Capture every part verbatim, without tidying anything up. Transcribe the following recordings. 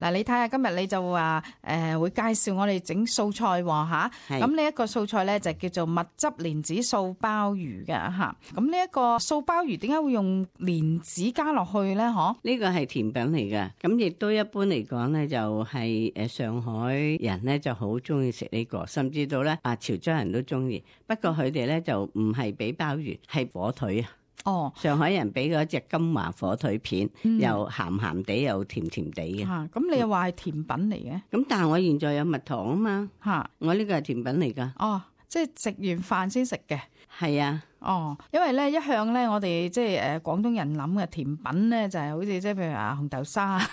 嗱，你睇下今日你就話誒、呃、會介紹我哋整素菜喎嚇，咁呢一個素菜咧就叫做蜜汁蓮子素鮑魚嘅嚇。咁呢一個素鮑魚點解會用蓮子加落去咧？嗬？呢個係甜品嚟嘅，咁亦都一般嚟講咧就係誒上海人咧就好中意食呢個，甚至到咧啊潮州人都中意。不過佢哋咧就唔係俾鮑魚，係火腿啊。哦，上海人俾嗰隻金華火腿片，嗯、又鹹鹹地又甜甜地嘅。嚇，咁你又話係甜品嚟嘅？咁、嗯、但係我現在有蜜糖啊嘛。嚇，我呢個係甜品嚟㗎。哦，即係食完飯先食嘅。係啊。哦，因為咧一向咧我哋即係誒廣東人諗嘅甜品咧就係好似即係譬如話紅豆沙啊、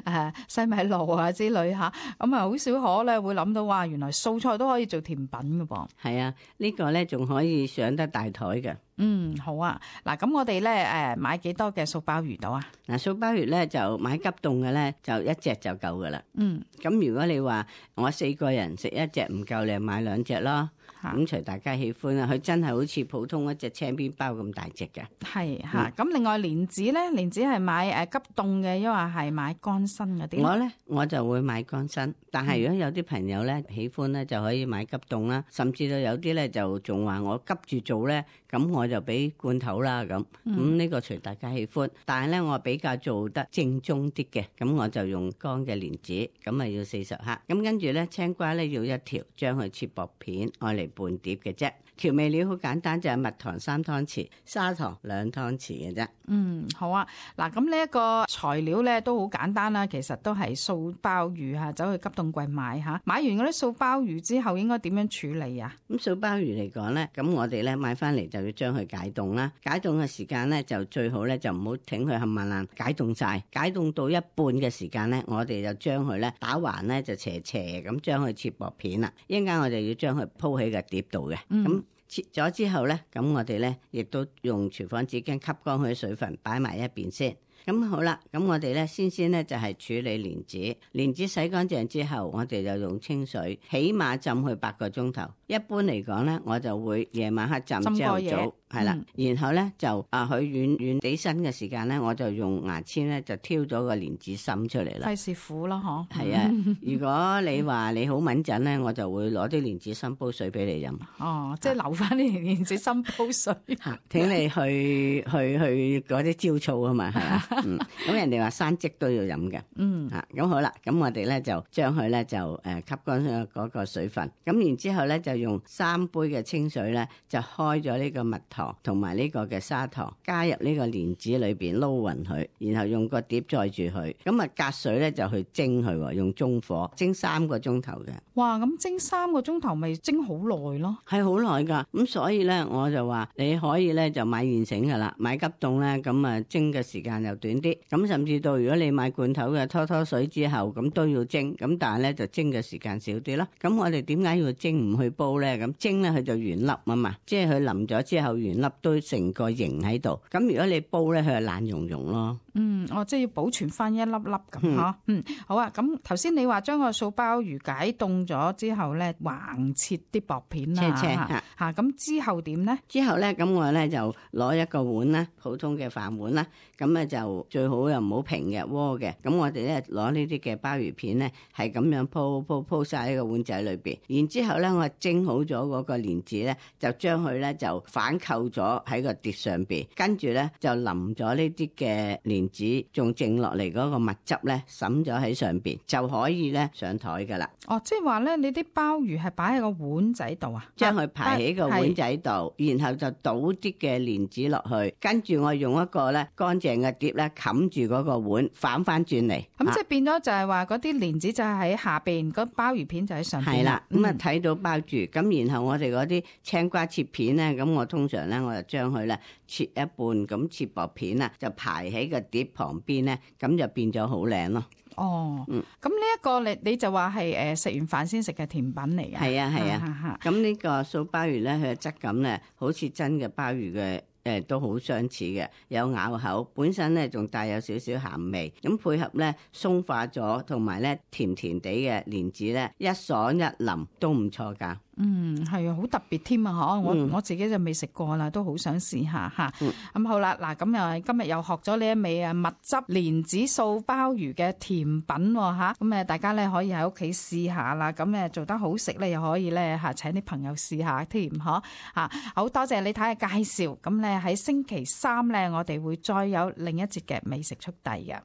誒西米露啊之類嚇，咁啊好少可咧會諗到話原來素菜都可以做甜品㗎噃。係啊，呢個咧仲可以上得大台嘅。嗯，好啊。嗱，咁我哋咧誒買幾多嘅素鮑魚到啊？嗱，素鮑魚咧就買急凍嘅咧，就一隻就夠噶啦。嗯，咁如果你話我四個人食一隻唔夠，你就買兩隻咯。咁隨大家喜歡啦。佢真係好似普通一隻青邊包咁大隻嘅。係嚇。咁、嗯、另外蓮子咧，蓮子係買誒急凍嘅，抑或係買乾身嗰啲？我咧我就會買乾身，但係如果有啲朋友咧喜歡咧，就可以買急凍啦。甚至到有啲咧就仲話我急住做咧，咁我就俾罐頭啦咁。咁、嗯、呢、這個隨大家喜歡。但係咧我比較做得正宗啲嘅，咁我就用乾嘅蓮子，咁啊要四十克。咁跟住咧青瓜咧要一條，將佢切薄片，愛嚟半碟嘅啫。調味料好簡單，就係蜜糖三湯匙，砂糖兩湯匙嘅啫。嗯，好啊。嗱，咁呢一個材料咧都好簡單啦，其實都係素鮑魚嚇，走去急凍櫃買嚇。買完嗰啲素鮑魚之後，應該點樣處理啊？咁素鮑魚嚟講咧，咁我哋咧買翻嚟就要將佢解凍啦。解凍嘅時間咧就最好咧就唔好挺佢冚唪唥解凍晒。解凍到一半嘅時間咧，我哋就將佢咧打橫咧就斜斜咁將佢切薄片啦。一陣間我哋要將佢鋪喺個碟度嘅。咁、嗯切咗之後咧，咁我哋咧亦都用廚房紙巾吸乾佢啲水分，擺埋一邊先。咁好啦，咁我哋咧先先咧就係處理蓮子，蓮子洗乾淨之後，我哋就用清水，起碼浸佢八個鐘頭。一般嚟講咧，我就會夜晚黑浸，朝頭早係啦、嗯，然後咧就啊佢軟軟地身嘅時間咧，我就用牙籤咧就挑咗個蓮子心出嚟啦。費事苦咯，嗬。係啊，如果你話你好敏陣咧，我就會攞啲蓮子心煲水俾你飲。哦，即係留翻啲蓮子心煲水。吓，請你去去去嗰啲焦醋啊嘛，係啊。嗯，咁人哋話生積都要飲嘅。嗯，吓，咁好啦，咁我哋咧就將佢咧就誒吸乾嗰個水分，咁然之後咧就用三杯嘅清水咧就開咗呢個蜜糖同埋呢個嘅砂糖，加入呢個蓮子裏邊撈勻佢，然後用個碟載住佢，咁啊隔水咧就去蒸佢，用中火蒸三個鐘頭嘅。哇，咁蒸三個鐘頭咪蒸好耐咯？係好耐噶，咁所以咧我就話你可以咧就買現成噶啦，買急凍咧咁啊蒸嘅時間又短啲，咁甚至到如果你買罐頭嘅拖拖水之後咁都要蒸，咁但係咧就蒸嘅時間少啲咯。咁我哋點解要蒸唔去煲咧？咁蒸咧佢就原粒啊嘛，即係佢淋咗之後原粒都成個形喺度。咁如果你煲咧，佢就爛溶溶咯。嗯，哦，即係要保存翻一粒粒咁吓。嗯，好啊。咁頭先你話將個素鮑魚解凍咗之後咧，橫切啲薄片啦，切切吓吓。咁之後點咧？之後咧，咁我咧就攞一個碗啦，普通嘅飯碗啦。咁咧就最好又唔好平嘅鍋嘅。咁我哋咧攞呢啲嘅鮑魚片咧，係咁樣鋪鋪鋪晒喺個碗仔裏邊。然之後咧，我蒸好咗嗰個蓮子咧，就將佢咧就反扣咗喺個碟上邊，跟住咧就淋咗呢啲嘅蓮子，仲剩落嚟嗰個蜜汁咧，灑咗喺上邊，就可以咧上台噶啦。哦，即係話咧，你啲鮑魚係擺喺個碗仔度啊？將佢排喺個碗仔度，然後就倒啲嘅蓮子落去，跟住我用一個咧乾淨嘅碟咧冚住嗰個碗，反翻轉嚟。咁即係變咗就係話嗰啲蓮子就係喺下邊，嗰鮑魚片就喺上邊。係啦，咁啊睇到包住，咁然後我哋嗰啲青瓜切片咧，咁我通常咧我就將佢咧切一半，咁切薄片啊，就排喺個碟旁邊咧，咁就變咗好靚咯。哦，嗯，咁呢一個你你就話係誒食完飯先食嘅甜品嚟嘅。係啊係啊，咁呢個素鮑魚咧，佢嘅質感咧，好似真嘅鮑魚嘅。誒都好相似嘅，有咬口，本身咧仲帶有少少鹹味，咁配合咧鬆化咗，同埋咧甜甜地嘅蓮子咧，一爽一淋都唔錯㗎。嗯，係啊，好特別添啊！嗬，我、嗯、我自己就未食過啦，都好想試下嚇。咁、嗯、好啦，嗱，咁又今日又學咗呢一味啊蜜汁蓮子素鮑魚嘅甜品喎嚇，咁誒大家咧可以喺屋企試下啦。咁誒做得好食咧，又可以咧嚇請啲朋友試下添，嗬嚇。好多謝李太嘅介紹。咁咧喺星期三咧，我哋會再有另一節嘅美食速遞嘅。